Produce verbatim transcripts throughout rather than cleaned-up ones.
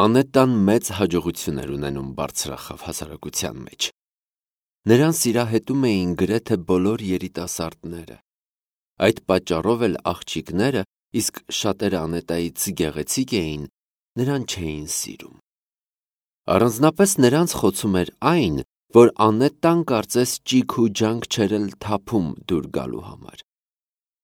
Անետան մեծ հաջողություն էր ունենում բարձրախավ հասարակության մեջ։ Նրան սիրահետում էին գրեթե բոլոր երիտասարդները։ Այդ պատճառով էլ աղջիկները, իսկ շատերը Անետայից գեղեցիկ էին, նրան չէին սիրում։ Առանձնապես նրանց խոցում էր այն, որ Անետան կարծես ճիգ ու ջանք չէր էլ թափում դուր գալու համար։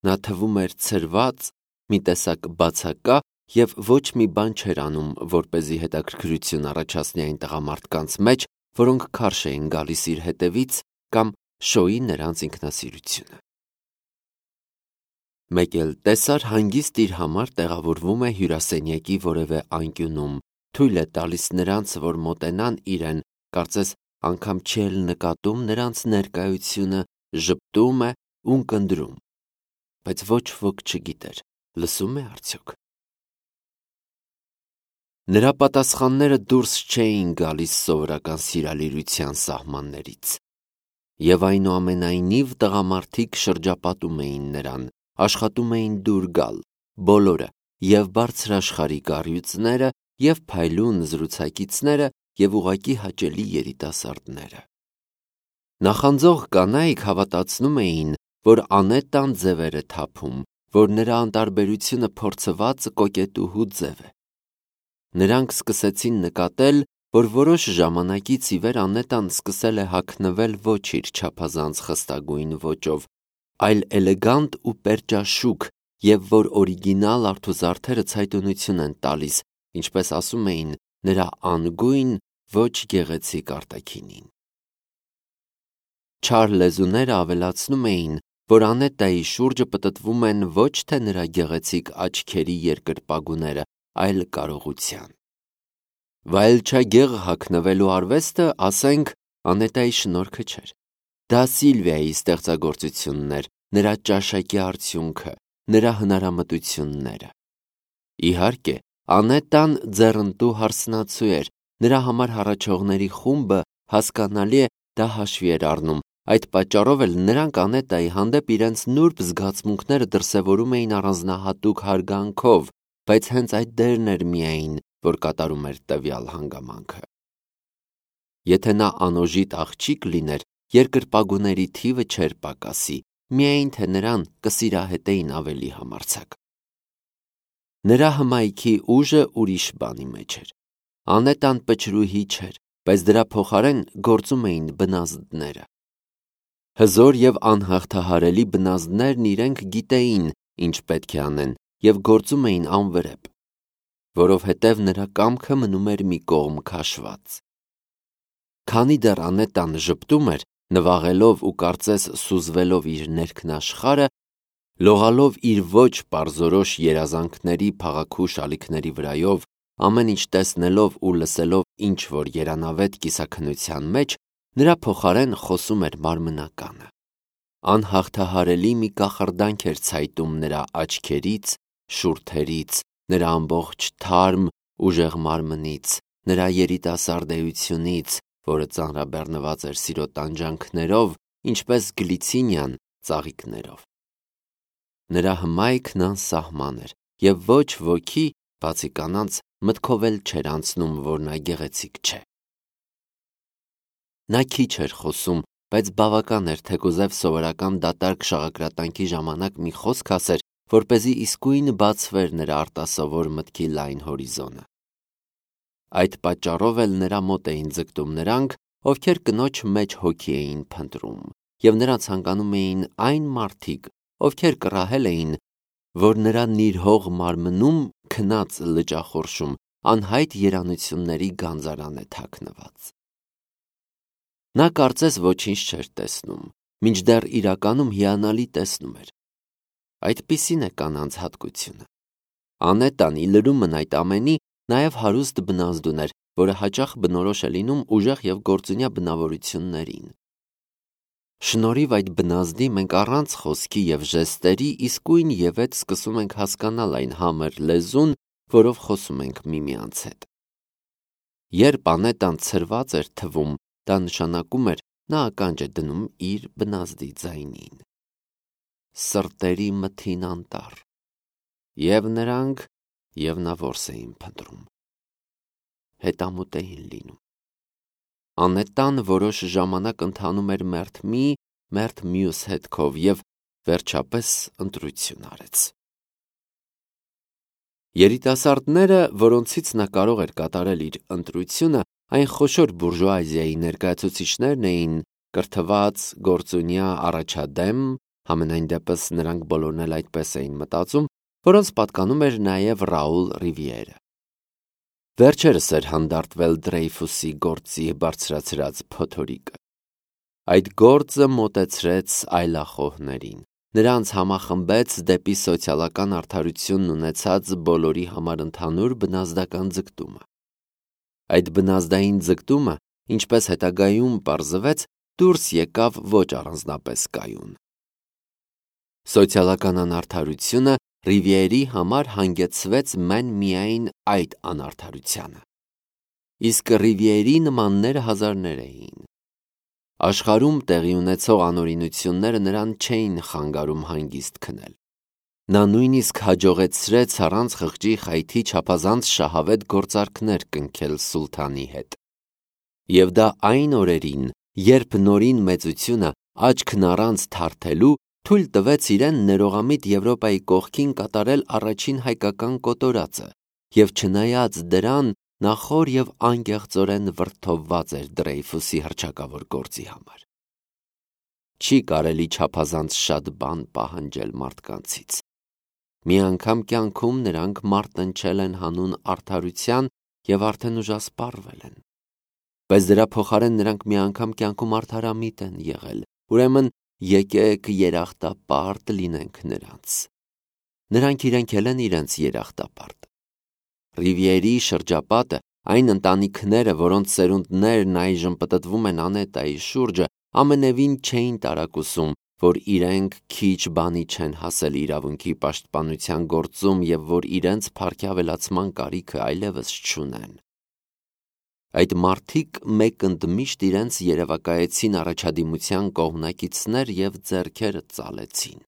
Նա թվում էր ցրված, մի տեսակ բացակա և ոչ մի բան չէր անում, որպեսզի հետաքրքրություն առաջացնի այն տղամարդկանց մեջ, որոնք քարշ էին գալիս իր հետևից կամ շոյի նրանց ինքնասիրությունը։ Մեկ էլ տեսար հանգիստ իր համար տեղավորվում է հյուրասենյակի որևէ անկյունում, թույլ է տալիս նրանց, որ մոտենան իրեն, կարծես անգամ չի էլ նկատում նրանց ներկայությունը, ժպտում է ու կնդրում, բայց ոչ ոք չգիտեր, լսում է արդյոք։ Նրա պատասխանները դուրս չէին գալիս սովորական սիրալիրության սահմաններից։ Եվ այնուամենայնիվ տղամարդիկ շրջապատում էին նրան, աշխատում էին դուր գալ, բոլորը, և բարձրաշխարհիկ առյուծները, և փայլուն զրուցակիցները, և ուղղակի հաճելի երիտասարդները։ Նախանձող կանայք հավատացնում էին, որ Անետան ձև էր թափում, որ նրա անտարբերությունը փորձված կոկետուհու ձև է։ Նրանք սկսեցին նկատել, որ որոշ ժամանակից ի վեր Անետան սկսել է հագնվել ոչ իր չափազանց խստագույն ոճով, այլ էլեգանտ ու պերճաշուք, և որ օրիգինալ արթուզարդերը ցայտունություն են տալիս, ինչպես ասում էին, նրա անգույն, ոչ գեղեցիկ արտաքինին։ Չար լեզուները ավելացնում էին, որ Անետայի շուրջը պտտվում են ոչ թե նրա գեղեցիկ աչքերի երկրպագուները, այլ կարողության։ Վայելչագեղ հագնվելու արվեստը, ասենք, Անետայի շնորհքը չէր։ Դա Սիլվիայի ստեղծագործությունն էր, նրա ճաշակի արդյունքը, նրա հնարամտությունները։ Իհարկե, Անետան ձեռնտու հարսնացու էր, նրա համար հառաչողների խումբը, հասկանալի է, դա հաշվի էր առնում, այդ պատճառով էլ նրանք Անետայի հանդեպ իրենց նուրբ զգացմունքները դրսևորում էին առանձնահատուկ հարգանքով, բայց հենց այդ դերն էր միայն, որ կատարում էր տվյալ հանգամանքը։ Եթե նա անօժիտ աղջիկ լիներ, երկրպագուների թիվը չէր պակասի, միայն թե նրան կսիրահետեին ավելի համարձակ։ Նրա հմայքի ուժը ուրիշ բանի մեջ էր։ Անետան պչրուհի չէր, բայց դրա փոխարեն գործում էին բնազդները։ Հզոր և անհաղթահարելի բնազդներն իրենք գիտեին, ինչ պետք է անեն, և գործում էին անվրեպ, որովհետև նրա կամքը մնում էր մի կողմ քաշված։ Քանի դեռ Անետան ժպտում էր, նվաղելով ու կարծես սուզվելով իր ներքնաշխարհը, լողալով իր ոչ պարզորոշ երազանքների փաղաքուշ ալիքների վրայով, ամեն ինչ տեսնելով ու լսելով ինչ-որ երանավետ կիսաքննության մեջ, նրա փոխարեն խոսում էր մարմնականը։ Անհաղթահարելի մի կախարդանք էր ցայտում նրա աչքերից, շուրթերից, նրա ամբողջ թարմ, ուժեղ մարմնից, նրա երիտասարդ էությունից, որը ծանրաբեռնված էր սիրո տանջանքներով, ինչպես գլիցինիան ծաղիկներով։ Նրա հմայքն անսահման էր, և ոչ ոքի, բացի կանանց, մտքով էլ չէր անցնում, որ նա գեղեցիկ չէ։ Նա քիչ էր խոսում, բայց բավական էր, թեկուզև սովորական դատարկ շաղակրատանքի ժամանակ մի խոսք ասեր, որպեսզի իսկույն բացվեր նրա արտասովոր մտքի լայն հորիզոնը։ Այդ պատճառով էլ նրա մոտ էին ձգտում նրանք, ովքեր կնոջ մեջ հոգի էին փնտրում, և նրան ցանկանում էին այն մարդիկ, ովքեր կռահել էին, որ նրա նիրհող մարմնում քնած լճախորշում անհայտ երանությունների գանձարան է թաքնված։ Նա կարծես ոչինչ չէր տեսնում, մինչդեռ իրականում հիանալի տեսնում էր։ Այդպիսին է կանանց հատկությունը։ Անետան, ի լրումն այդ ամենի, նաև հարուստ բնազդուն էր, որը հաճախ բնորոշ է լինում ուժեղ և գործունյա բնավորություններին։ Շնորհիվ այդ բնազդի մենք առանց խոսքի և ժեստերի իսկույն ևեթ սկսում ենք հասկանալ այն համր լեզուն, որով խոսում ենք միմյանց հետ։ Երբ Անետան ցրված էր թվում, դա նշանակում էր, նա ականջ է դնում իր բնազդի ձայնին։ Սրտերի մթին անտառ։ Եվ նրանք, և նա որս էին փնտրում։ հետամուտ էին լինում։ Անետան որոշ ժամանակ ընթանում էր մերթ մի, մերթ մյուս հետքով և վերջապես ընտրություն արեց։ Երիտասարդները, որոնցից նա կարող էր կատարել իր ընտրությունը, այն խոշոր բուրժուազիայի ներկայացուցիչներն էին, կրթված, գործունյա, առաջադեմ, համենայն դեպս նրանք բոլորն էլ այդպես էին մտածում, որոնց պատկանում էր նաև Ռաուլ Ռիվիերը։ Վերջերս էր հանդարտվել Դրեյֆուսի գործի բարձրացրած փոթորիկը։ Այդ գործը մոտեցրեց այլախոհներին, նրանց համախմբեց դեպի սոցիալական արդարությունն ունեցած բոլորի համար ընդհանուր բնազդական ձգտումը։ Այդ բնազդային ձգտումը, ինչպես հետագայում պարզվեց, դուրս եկավ ոչ առանձնապես կայուն։ Սոցիալական անարդարությունը Ռիվիերի համար հանգեցրեց մեն միայն այդ անարդարությանը։ Իսկ Ռիվիերի նմանները հազարներ էին։ Աշխարհում տեղի ունեցող անօրինությունները նրան չէին խանգարում հանգիստ քնել։ Նա նույնիսկ հաջողեցրեց առանց խղճի խայթի չափազանց շահավետ գործարքներ կնքել սուլթանի հետ։ Եվ դա այն օրերին, երբ նորին մեծությունը աչքն առանց թարթելու թույլ տվեց իրեն ներողամիտ Եվրոպայի կողքին կատարել առաջին հայկական կոտորածը, և չնայած դրան, նա խոր և անկեղծորեն վրդովված էր Դրեյֆուսի հռչակավոր գործի համար։ Չի կարելի չափազանց շատ բան պահանջել մարդկանցից։ Մի անգամ կյանքում նրանք մարտնչել են հանուն արդարության և արդեն ուժասպառվել են։ Բայց դրա փոխարեն նրանք մի անգամ կյանքում արդարամիտ են եղել, ուրեմն եկեք երախտապարտ լինենք նրանց։ Նրանք իրենք էլ են իրենց երախտապարտ։ Ռիվիերի շրջապատը, այն ընտանիքները, որոնց սերունդներն այժմ պտտվում են Անետայի շուրջը, ամենևին չէին տարակուսում, որ իրենք քիչ բանի չեն հասել իրավունքի պաշտպանության գործում և որ իրենց փառքի ավելացման կարիքը այլևս չունեն։ Այդ մարդիկ մեկ ընդմիշտ իրենց երևակայեցին առաջադիմության կողմնակիցներ և ձեռքերը ծալեցին։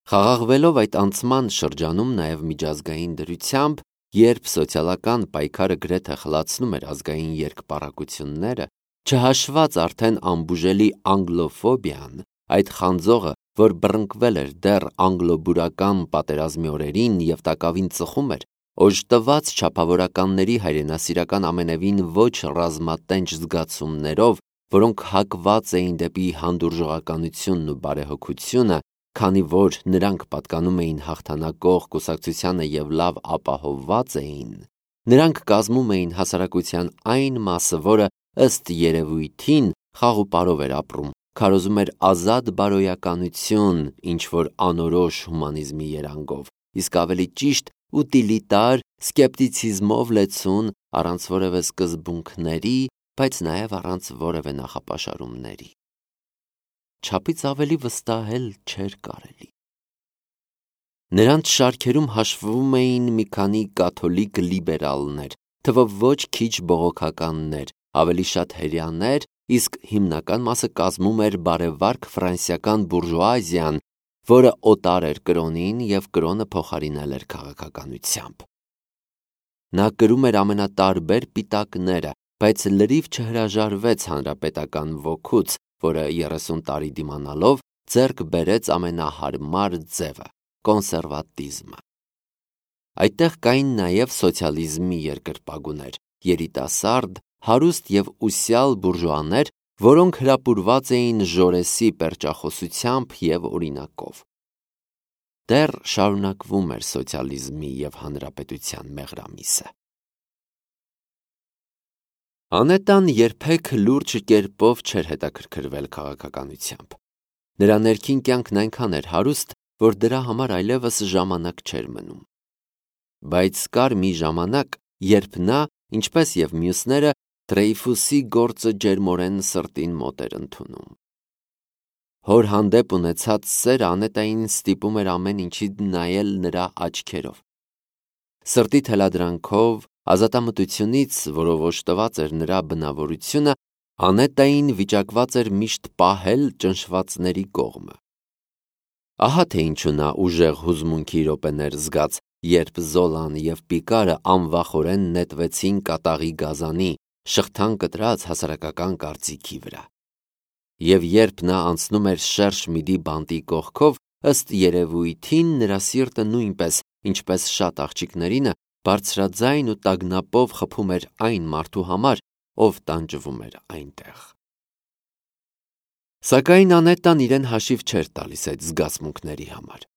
Խաղաղվելով այդ անցման շրջանում նաև միջազգային դրությամբ, երբ սոցիալական պայքարը գրեթե խլացնում էր ազգային երկպառակությունները, չհաշված արդեն անբուժելի անգլոֆոբիան, այդ խանձողը, որ բռնկվել էր դեռ անգլոբուրական պատերազմի օրերին և տակավին ծխում էր, օժտված չափավորականների հայրենասիրական ամենևին ոչ ռազմատենչ զգացումներով, որոնք հակված էին դեպի հանդուրժողականությունն ու բարեհոգությունը, քանի որ նրանք պատկանում էին հաղթանակող կուսակցությանը և լավ ապահովված էին, նրանք կազմում էին հասարակության այն մասը, որը ըստ երևույթին խաղ ու պարով էր ապրում, քարոզում էր ազատ բարոյականություն ինչ-որ անորոշ հումանիզմի երանգով, իսկ ավելի ճիշտ ուտիլիտար սկեպտիցիզմով լեցուն, առանց որևէ սկզբունքների, բայց նաև առանց որևէ նախապաշարումների։ Չափից ավելի վստահ էլ չէր կարելի։ Նրանց շարքերում հաշվվում էին մի քանի կաթոլիկ լիբերալներ, թվով ոչ քիչ բողոքականներ, ավելի շատ հրեաներ, իսկ հիմնական մասը կազմում էր բարեվարք ֆրանսիական բուրժուազիան, որը օտար էր կրոնին և կրոնը փոխարինել էր քաղաքականությամբ։ Նա կրում էր ամենատարբեր պիտակները, բայց լրիվ չհրաժարվեց հանրապետական ոգուց, որը երեսուն տարի դիմանալով ձեռք բերեց ամենահարմար ձևը՝ կոնսերվատիզմը։ Այդտեղ կային նաև սոցիալիզմի երկրպագուներ, երիտասարդ, հարուստ և ուսյալ բուրժուաներ, որոնք հրապուրված էին Ժորեսի պերճախոսությամբ և օրինակով։ Դեռ շարունակվում էր սոցիալիզմի և հանրապետության մեղրամիսը։ Անետան երբեք լուրջ կերպով չէր հետաքրքրվել քաղաքականությամբ։ Նրա ներքին կյանքն այնքան էր հարուստ, որ դրա համար այլևս ժամանակ չէր մնում։ Բայց կար մի ժամանակ, երբ նա, ինչպես և մյուսները, Դրեյֆուսի գործը ջերմորեն սրտին մոտ էր ընդունում։ Հոր հանդեպ ունեցած սերը Անետային ստիպում էր ամեն ինչին նայել նրա աչքերով։ Սրտի թելադրանքով, ազատամտությունից, որով օժտված էր նրա բնավորությունը, Անետային վիճակված էր միշտ պահել ճնշվածների կողմը։ Ահա թե ինչու նա ուժեղ հուզմունքի րոպեներ զգաց, երբ Զոլան և Պիկարը անվախորեն նետվեցին կատաղի գազանի, շղթան կտրած հասարակական կարծիքի վրա։ Եվ երբ նա անցնում էր շերշ միդի բանտի կողքով, ըստ երևույթին նրա սիրտը նույնպես, ինչպես շատ աղջիկներինը, բարձրաձայն ու տագնապով խփում էր այն մարդու համար, ով տանջվում էր այնտեղ։ Սակայն Անետան իրեն հաշիվ չէր տալիս այդ զգացմունքների համար։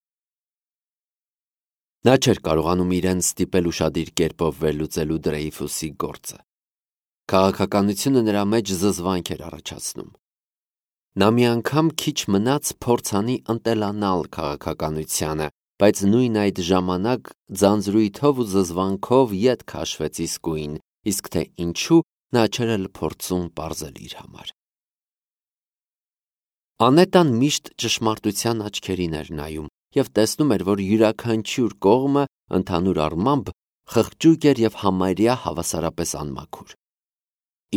Նա չէր կարողանում իրեն ստիպել ուշադիր կերպով վերլուծելու Դրեյֆուսի գործը։ Քաղաքականությունը նրա մեջ զզվանք էր առաջացնում։ Նա մի անգամ քիչ մնաց փորձանի ընտելանալ քաղաքականությանը, բայց նույն այդ ժամանակ ձանձրույթով ու զզվանքով ետ քաշվեց իսկույն, իսկ թե ինչու նա չէր էլ փորձում պարզել իր համար։ Անետան միշտ ճշմարտության աչքերին էր նայում և տեսնում էր, որ յուրաքանչյուր կողմը ընդհանուր առմամբ խղճուկ էր և համարյա հավասարապես անմաքուր։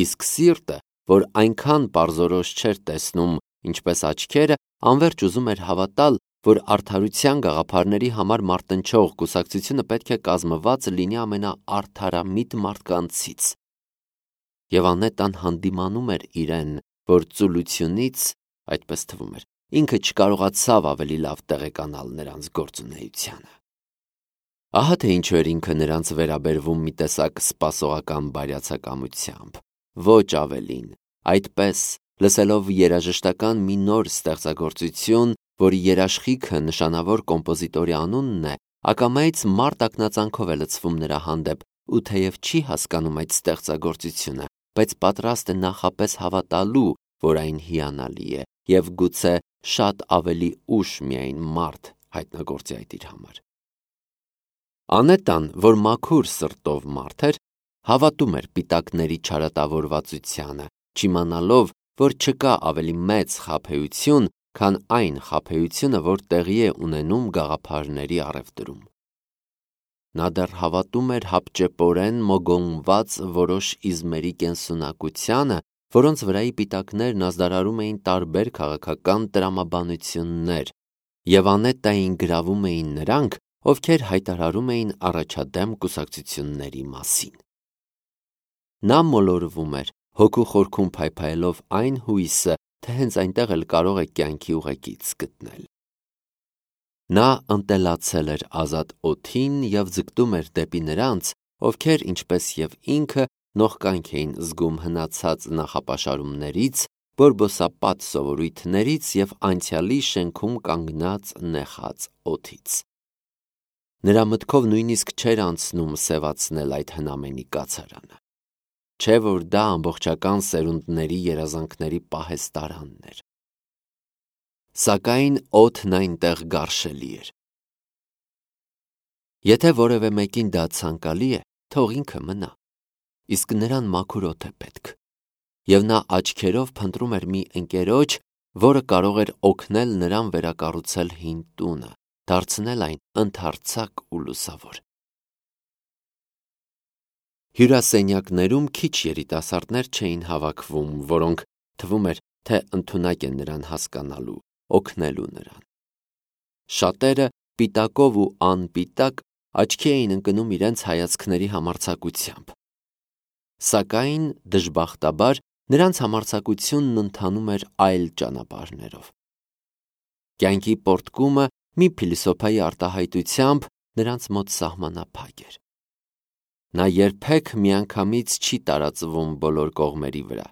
Իսկ սիրտը, որ այնքան պարզորոշ չէր տեսնում, ինչպես աչքերը, անվերջ ուզում էր հավատալ, որ արդարության գաղափարների համար մարտնչող կուսակցությունը պետք է կազմված լինի ամենաարդարամիտ մարդկանցից։ Եվ Անետան հանդիմանում էր իրեն, որ ծուլությունից, այդպես թվում էր, ինքը չկարողացավ ավելի լավ տեղեկանալ նրանց գործունեությանը։ Ահա թե ինչու էր ինքը նրանց վերաբերվում մի տեսակ սպասողական բարյացակամությամբ, ոչ ավելին, այդպես, լսելով երաժշտական մի նոր ստեղծագործություն, որի երաշխիքը նշանավոր կոմպոզիտորի անունն է, ակամայից մարդ ակնածանքով է լցվում նրա հանդեպ ու թեև չի հասկանում այդ ստեղծագործությունը, բայց պատրաստ է նախապես հավատալու, որ այն հիանալի է և գուցե շատ ավելի ուշ միայն մարդ հայտնագործի այդ իր համար։ Անետան, որ մաքուր սրտով մարդ էր, հավատում էր պիտակների չարատավորվածությանը, չիմանալով, որ չկա ավելի մեծ խաբեություն, քան այն խաբեությունը, որ տեղի է ունենում գաղափարների առևտրում։ Նա դեռ հավատում էր հապճեպորեն մոգոնված որոշ իզմերի կենսունակությանը, որոնց վրայի պիտակներն ազդարարում էին տարբեր քաղաքական տրամաբանություններ, և Անետային գրավում էին նրանք, ովքեր հայտարարում էին առաջադեմ կուսակցությունների մասին։ Նա մոլորվում էր, հոգու խորքում փայփայելով այն հույսը, թե հենց այնտեղ էլ կարող է կյանքի ուղեկից գտնել։ Նա ընտելացել էր ազատ օդին և ձգտում էր դեպի նրանց, ովքեր, ինչպես և ինքը, նողկանք էին զգում հնացած նախապաշարումներից, բորբոսապատ սովորույթներից և անցյալի շենքում կանգնած նեխած օդից։ Նրա մտքով նույնիսկ չէր անցնում սևացնել այդ հնամենի կացարանը, չէ որ դա ամբողջական սերունդների երազանքների պահեստարանն էր։ Սակայն օդն այնտեղ գարշելի էր։ Եթե որևէ մեկին դա ցանկալի է, թող ինքը մնա, իսկ նրան մաքուր օդ է պետք, և նա աչքերով փնտրում էր մի ընկերոջ, որը կարող էր օգնել նրան վերակառուցել հին տունը, դարձնել այն ընդարձակ ու լուսավոր։ Հյուրասենյակներում քիչ երիտասարդներ չէին հավաքվում, որոնք, թվում էր, թե ընդունակ են նրան հասկանալու, օգնելու նրան։ Շատերը պիտակով ու անպիտակ աչքի էին ընկնում իրենց հայացքների համարձակությամբ։ Սակայն, դժբախտաբար, նրանց համարձակությունն ընթանում էր այլ ճանապարհներով։ Կյանքի պոռթկումը մի փիլիսոփայի արտահայտությամբ նրանց մոտ սահմանափակ էր։ Նա երբեք միանգամից չի տարածվում բոլոր կողմերի վրա։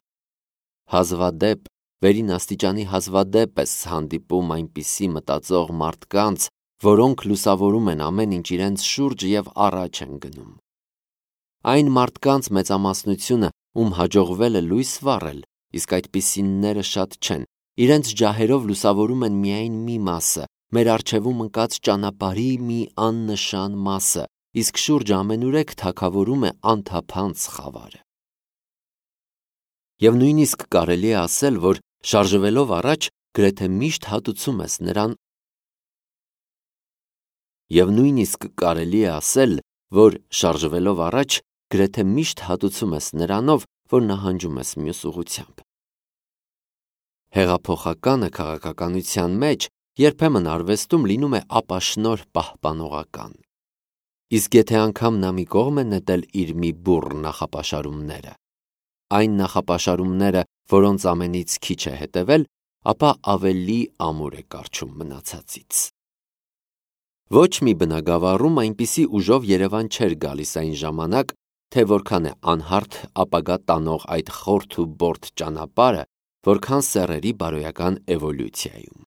Հազվադեպ, վերին աստիճանի հազվադեպ ես հանդիպում այնպիսի մտածող մարդկանց, որոնք լուսավորում են ամեն ինչ իրենց շուրջ և առաջ են գնում։ Այն մարդկանց մեծամասնությունը, ում հաջողվել է լույս վառել, իսկ այդպիսիները շատ չեն, իրենց ջահերով լուսավորում են միայն մի մասը, մեր առջևում ընկած ճանապարհի մի աննշան մասը, իսկ շուրջը ամենուրեք թագավորում է անթափանց խավարը։ Եվ նույնիսկ կարելի է ասել, որ շարժվելով առաջ գրեթե միշտ հատուցում ես նրան Եվ նույնիսկ կարելի է ասել, որ շարժվելով առաջ գրեթե միշտ հատուցում ես նրանով, որ նահանջում ես մյուս ուղղությամբ։ Հեղափոխականը քաղաքականության մեջ երբեմն արվեստում լինում է ապաշնորհ պահպանողական։ Իսկ եթե անգամ նա մի կողմ է նետել իր մի բուռ նախապաշարումները, այն նախապաշարումները, որոնց ամենից քիչ է հետևել, ապա ավելի ամուր է կառչում մնացածից։ Ոչ մի բնագավառում այնպիսի ուժով Երևան չէր գալիս այն ժամանակ, թե որքան է անհարթ ապագա տանող այդ խորթ ու բորթ ճանապարհը, որքան սեռերի բարոյական էվոլյուցիայում։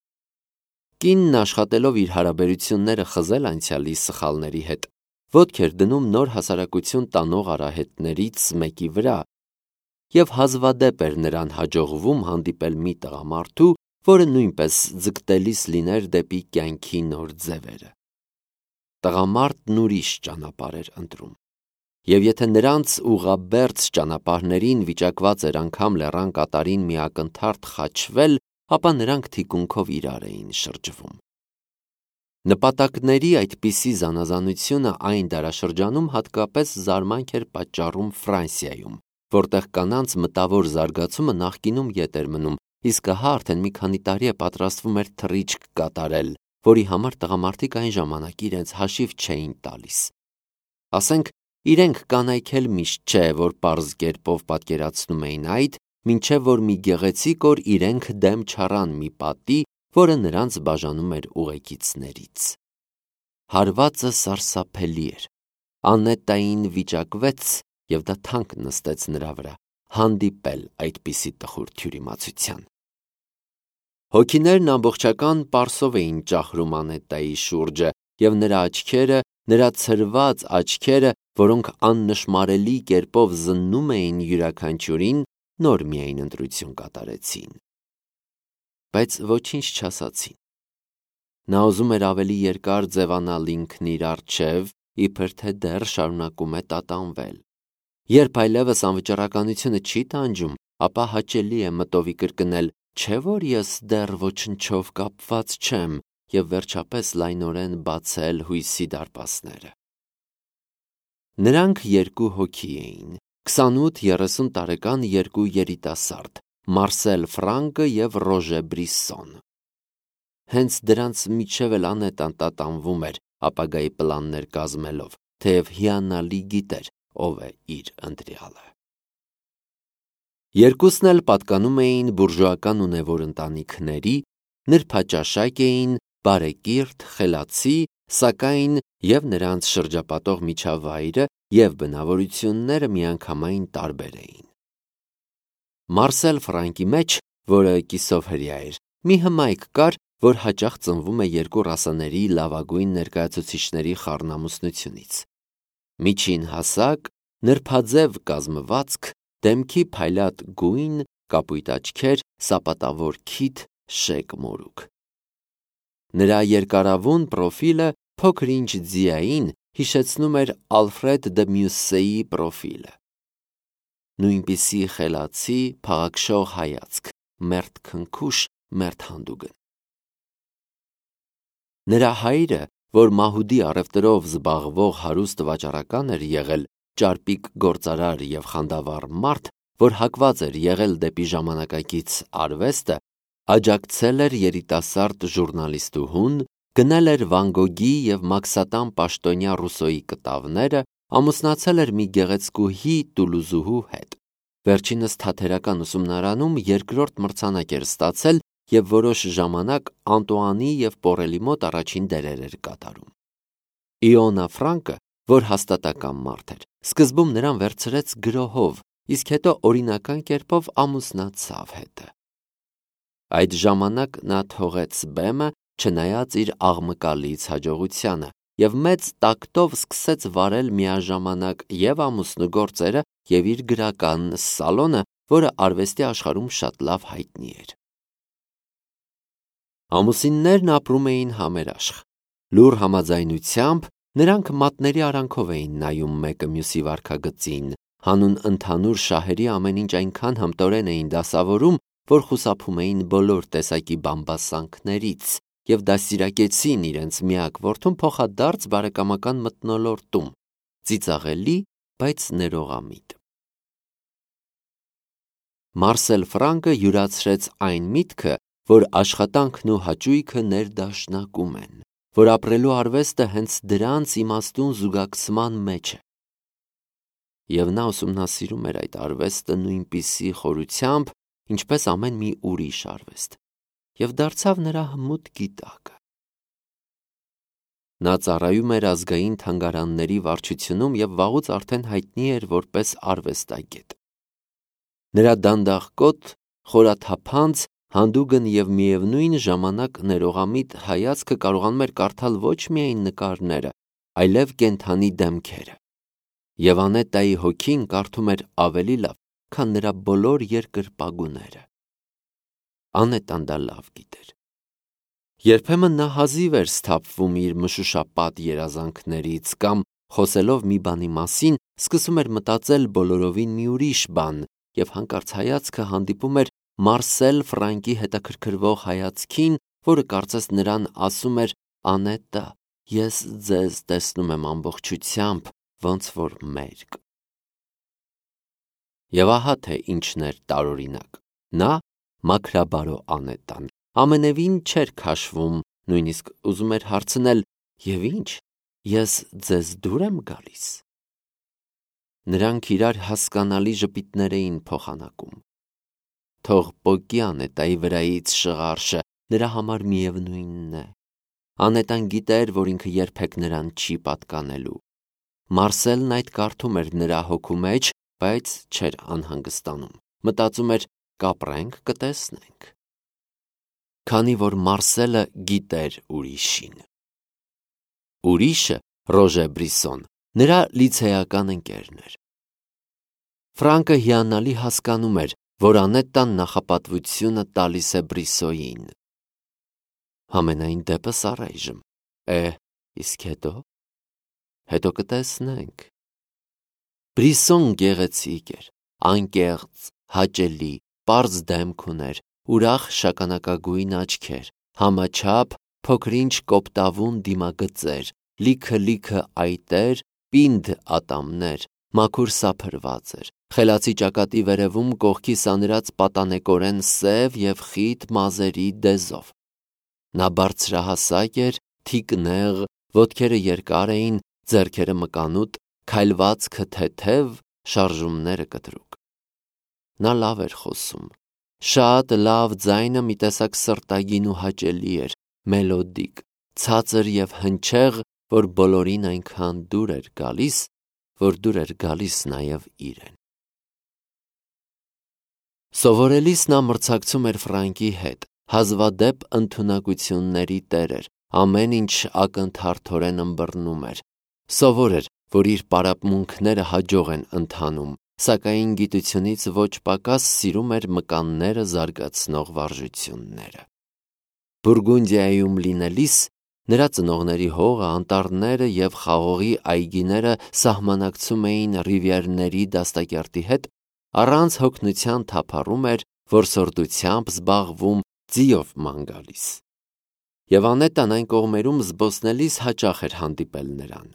Կինն աշխատելով իր հարաբերությունները խզել անցյալի սխալների հետ, ոտք էր դնում նոր հասարակություն տանող արահետներից մեկի վրա, և հազվադեպ էր նրան հաջողվում հանդիպել մի տղամարդու, որը նույնպես ձգտելիս լիներ դեպի կյանքի նոր ձևերը։ Տղամարդն ուրիշ ճանապարհ էր ընտրում, և եթե նրանց ուղղաբերձ ճանապարհներին վիճակված էր անգամ լեռան կատարին մի ակնթարթ խաչվել, ապա նրանք թիկունքով իրար էին շրջվում։ Նպատակների այդպիսի զանազանությունը այն դարաշրջանում հատկապես զարմանք էր պատճառում Ֆրանսիայում, որտեղ կանանց մտավոր զարգացումը նախկինում ետ էր մնում, իսկ ահա արդեն մի քանի տարի է պատրաստվում էր թռիչք կատարել, որի համար տղամարդիկ այն ժամանակ իրենց հաշիվ չէին տալիս։ Ասենք, իրենք կանայք էլ միշտ չէ, որ պարզ կերպով պատկերացնում էին այդ, մինչև որ մի գեղեցիկ օր իրենք դեմ չառան մի պատի, որը նրանց բաժանում էր ուղեկիցներից։ Հարվածը սարսափելի էր։ Անետային վիճակվեց, և դա թանկ նստեց նրա վրա, հանդիպել այդպիսի տխուր թյուրիմացության։ Հոգիներն ամբողջական պարսով էին ճախրում Անետայի շուրջը, և նրա աչքերը, նրա ցրված աչքերը, որոնք աննշմարելի կերպով զննում էին յուրաքանչյուրին, նոր միայն ընտրություն կատարեցին։ Բայց ոչինչ չասացին։ Նա ուզում էր ավելի երկար ձևանալ ինքն իր առջև, իբր թե դեռ շարունակում է տատանվել։ Երբ այլևս անվճռականությունը չի տանջում, ապա հաճելի է մտովի կրկնել, չէ՞ որ ես դեռ ոչնչով կապված չեմ, և վերջապես լայնորեն բացել հույսի դարպասները։ Նրանք երկու հոգի էին, քսանութ-երեսուն տարեկան երկու երիտասարդ, Մարսել Ֆրանկը և Ռոժե Բրիսսոնը։ Հենց դրանց միջև էլ Անետան տատանվում էր, ապագայի պլաններ կազմելով, թեև հիանալի գիտեր, ով է իր ընտրյալը։ Երկուսն էլ պատկանում էին բուրժուական ունևոր ընտանիքների, նրբաճաշակ էին, բարեկիրթ, խելացի, սակայն և նրանց շրջապատող միջավայրը և բնավորությունները միանգամայն տարբեր էին։ Մարսել Ֆրանկի մեջ, որը կիսով հրեա էր, մի հմայք կար, որ հաճախ ծնվում է երկու ռասաների լավագույն ներկայացուցիչների խառնամուսնությունից։ Միջին հասակ, նրբաձև կազմվածք, դեմքի փայլատ գույն, կապույտ աչքեր, սապատավոր քիթ, շեկ մորուք։ Նրա երկարավուն պրոֆիլը փոքր-ինչ ձիային հիշեցնում էր Ալֆրեդ դը Մյուսսեի պրոֆիլը։ Նույնպիսի խելացի, փաղաքշող հայացք, մերթ քնքուշ, մերթ հանդուգն։ Նրա հայրը, որ մահուդի առևտրով զբաղվող հարուստ վաճառական էր եղել, ճարպիկ գործարար և խանդավառ մարդ, որ հակված էր եղել դեպի ժամանակակից արվեստը, աջակցել էր երիտասարդ ժուռնալիստուհուն, գնել էր Վան Գոգի և մաքսատան պաշտոնյա Ռուսոյի կտավները, ամուսնացել էր մի գեղեցկուհի տուլուզուհու հետ։ Վերջինս թատերական ուսումնարանում երկրորդ մրցանակ էր ստացել և որոշ ժամանակ Անտուանի և Պորելի մոտ առաջին դերեր էր կատարում։ Իոնա Ֆրանկը, որ հաստատակամ մարդ էր, սկզբում նրան վերցրեց գրոհով, իսկ հետո օրինական կերպով ամուսնացավ հետը։ Այդ ժամանակ նա թողեց բեմը, չնայած իր աղմկալից հաջողությանը, և մեծ տակտով սկսեց վարել միաժամանակ և ամուսնու գործերը, և իր գրական սալոնը, որը արվեստի աշխարհում շատ լավ հայտնի էր։ Ամուսիններն ապրում էին համերաշխ։ Լուռ համաձայնությամբ նրանք մատների արանքով էին նայում մեկը մյուսի վարքագծին, հանուն ընդհանուր շահերի ամեն ինչ այնքան հմտորեն էին դասավորում, որ խուսափում էին բոլոր տեսակի բամբասանքներից և դաստիարակեցին իրենց միակ որդուն փոխադարձ բարեկամական մթնոլորտում, ծիծաղելի, բայց ներողամիտ։ Մարսել Ֆրանկը յուրացրեց այն միտքը, որ աշխատանքն ու հաճույքը ներդաշնակում են, որ ապրելու արվեստը հենց դրանց իմաստուն զուգակցման մեջ է։ Եվ նա ուսումնասիրում էր այդ արվեստը նույնպիսի խորությամբ, ինչպես ամեն մի ուրիշ արվեստ, և դարձավ նրա հմուտ գիտակը։ Նա ծառայում էր ազգային թանգարանների վարչությունում և վաղուց արդեն հայտնի էր որպես արվեստագետ։ Նրա դանդաղկոտ, խորաթափանց, հանդուգն և միևնույն ժամանակ ներողամիտ հայացքը կարողանում էր կարդալ ոչ միայն նկարները, այլև կենդանի դեմքերը։ Եվ Անետայի հոգին կարդում էր ավելի լավ, քան նրա բոլոր երկրպագուները։ Անետան դա լավ գիտեր։ Երբեմն նա հազիվ էր սթափվում իր մշուշապատ երազանքներից կամ, խոսելով մի բանի մասին, սկսում էր մտածել բոլորովին մի ուրիշ բան, և հանկարծ հայացքը հանդիպում էր Մարսել Ֆրանկի հետաքրքրվող հայացքին, որը կարծես նրան ասում էր. «Անետա, ես ձեզ տեսնում եմ ամբողջությամբ, ոնց որ մերկ»։ Եվ ահա թե ինչն էր տարօրինակ. նա, մաքրաբարո Անետան, ամենևին չէր քաշվում, նույնիսկ ուզում էր հարցնել. «Եվ ինչ, ես ձեզ դուր եմ գալիս»։ Նրանք իրար հասկանալի ժպիտներ էին փոխանակում։ Թող պոկի Անետայի վրայից շղարշը, նրա համար միևնույնն է։ Անետան գիտեր, որ ինքը երբեք նրան չի պատկանելու։ Մարսելն այդ կարդում էր նրա հոգու մեջ, բայց չէր անհանգստանում։ Մտածում էր. կապրենք, կտեսնենք։ Քանի որ Մարսելը գիտեր ուրիշին։ Ուրիշը, Ռոժե Բրիսոն, նրա լիցեական ընկերն էր։ Ֆրանկը հիանալի հասկանում էր, որ Անետան նախապատվությունը տալիս է Բրիսոյին։ Համենայն դեպս առայժմ։ Է, իսկ հետո։ Հետո կտեսնենք։ Բրիսոն գեղեցիկ էր, անկեղծ, հաճելի, պարզ դեմք ուներ, ուրախ շագանակագույն աչքեր, համաչափ, փոքրինչ կոպտավուն դիմագծեր, լիքը-լիքը այտեր, պինդ ատամներ, մաքուր սափրված էր, խելացի ճակատի վերևում կողքի սանրած պատանեկորեն սև և խիտ մազերի դեզով։ Նա բարձրահասակ էր, թիկ նեղ, ոտքերը երկար էին, ձեռքերը մկանուտ, քայլվածքը թեթև, շարժումները կտրուկ։ Նա լավ էր խոսում։ Շատ լավ ձայնը մի տեսակ սրտագին ու հաճելի էր, մելոդիկ, ցածր և հնչեղ, որ բոլորին այնքան դուր էր գալիս, որ դուր էր գալիս նաև իրեն։ Սովորելիս նա մրցակցում էր Ֆրանկի հետ, հազվադեպ ընդունակությունների տեր էր, ամեն ինչ ակնթարթորեն ըմբռնում էր։ Սովոր էր, որ իր պարապմունքները հաջող են ընթանում, սակայն գիտությունից ոչ պակաս սիրում էր մկանները զարգացնող վարժությունները։ Բուրգունդիայում լինելիս նրա ծնողների հողը, անտառները և խաղողի այգիները սահմանակցում էին Ռիվիերների դաստակերտի հետ, առանց հոգնության թափառում էր, որ սորդությամբ զբաղվում, ձիով ման գալիս։ Եվ Անետան այն կողմերում զբոսնելիս հաճախ էր հանդիպել նրան։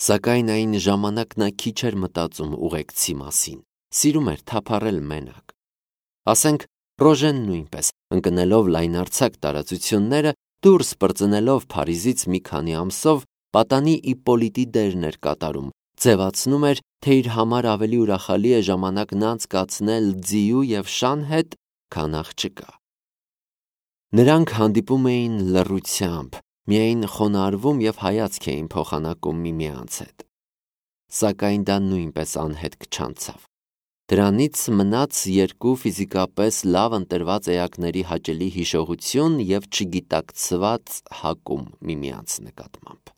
Սակայն այն ժամանակ նա քիչ էր մտածում ուղեկցի մասին, սիրում էր թափառել մենակ։ Ասենք, Ռոժեն նույնպես, ընկնելով լայնարձակ տարածությունները, դուրս պրծնելով Փարիզից մի քանի ամսով, պատանի Իպպոլիտի դերն էր կատարում, ձևացնում էր, թե իր համար ավելի ուրախալի է ժամանակն անցկացնել ձիու և շան հետ, քան աղջկա։ Նրանք հանդիպում էին լռությամբ, միայն խոնարհվում և հայացք էին փոխանակում միմյանց հետ։ Սակայն դա նույնպես անհետք չանցավ։ Դրանից մնաց երկու ֆիզիկապես լավ ընտրված էակների հաճելի հիշողություն և չգիտակցված հակում միմյանց նկատմամբ։